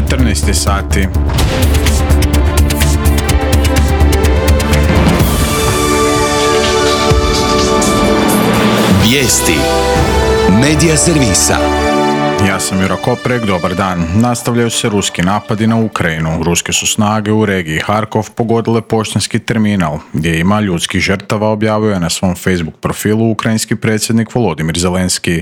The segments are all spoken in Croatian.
14 sati. Vijesti Medija servisa. Ja sam Juro Koprek, dobar dan. Nastavljaju se ruski napadi na Ukrajinu. Ruske su snage u regiji Harkov pogodile poštanski terminal, gdje ima ljudskih žrtava, objavio je na svom Facebook profilu ukrajinski predsjednik Volodimir Zelenski.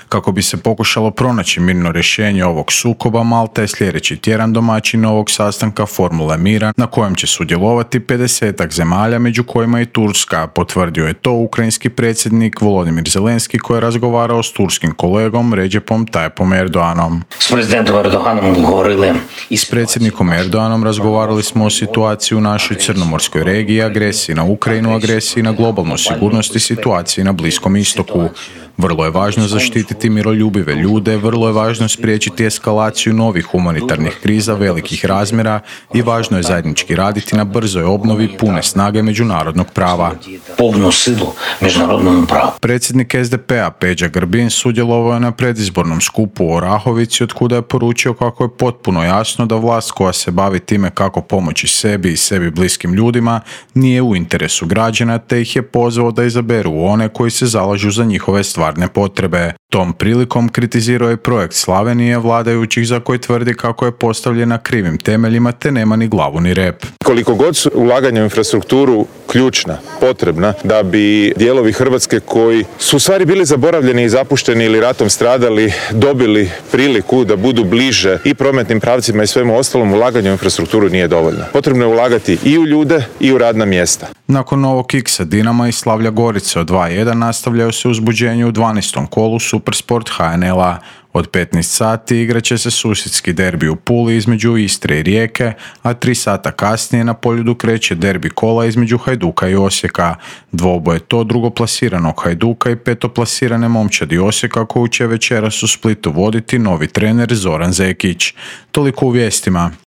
Kako bi se pokušalo pronaći mirno rješenje ovog sukoba, Malta je sljedeći tjedan domaćin ovog sastanka Formule mira, na kojem će sudjelovati 50-ak zemalja, među kojima i Turska. Potvrdio je to ukrajinski predsjednik Volodimir Zelenski, koji je razgovarao s turskim kolegom Recepom Tayyipom Erdoganom. S predsjednikom Erdoganom razgovarali smo o situaciji u našoj crnomorskoj regiji, agresiji na Ukrajinu, agresiji na globalnu sigurnost i situaciji na Bliskom istoku. Vrlo je važno zaštititi miroljubive ljude, vrlo je važno spriječiti eskalaciju novih humanitarnih kriza velikih razmjera i važno je zajednički raditi na brzoj obnovi pune snage međunarodnog prava. Predsjednik SDP-a Peđa Grbin sudjelovao je na predizbornom skupu u Orahovici, od kuda je poručio kako je potpuno jasno da vlast koja se bavi time kako pomoći sebi i sebi bliskim ljudima nije u interesu građana, te ih je pozvao da izaberu one koji se zalažu za njihove stvarne potrebe. Tom prilikom kritizirao je projekt Slavenije vladajućih, za koji tvrdi kako je postavljen na krivim temeljima te nema ni glavu ni rep. Koliko god su ulaganja u infrastrukturu ključna, potrebna, da bi dijelovi Hrvatske koji su u stvari bili zaboravljeni i zapušteni ili ratom stradali, dobili priliku da budu bliže i prometnim pravcima i svemu ostalom, ulaganje u infrastrukturu nije dovoljno. Potrebno je ulagati i u ljude i u radna mjesta. Nakon novog kiksa Dinama i Slavlja Gorice od 2:1 nastavljaju se uzbuđenje u 12. kolu Supersport HNL-a. Od 15 sati igrat će se susjedski derbi u Puli između Istre i Rijeke, a 3 sata kasnije na Poljudu kreće derbi kola između Hajduka i Osijeka. Dvoboje to drugoplasiranog Hajduka i petoplasirane momčadi Osijeka, koju će večeras u Splitu voditi novi trener Zoran Zekić. Toliko u vijestima.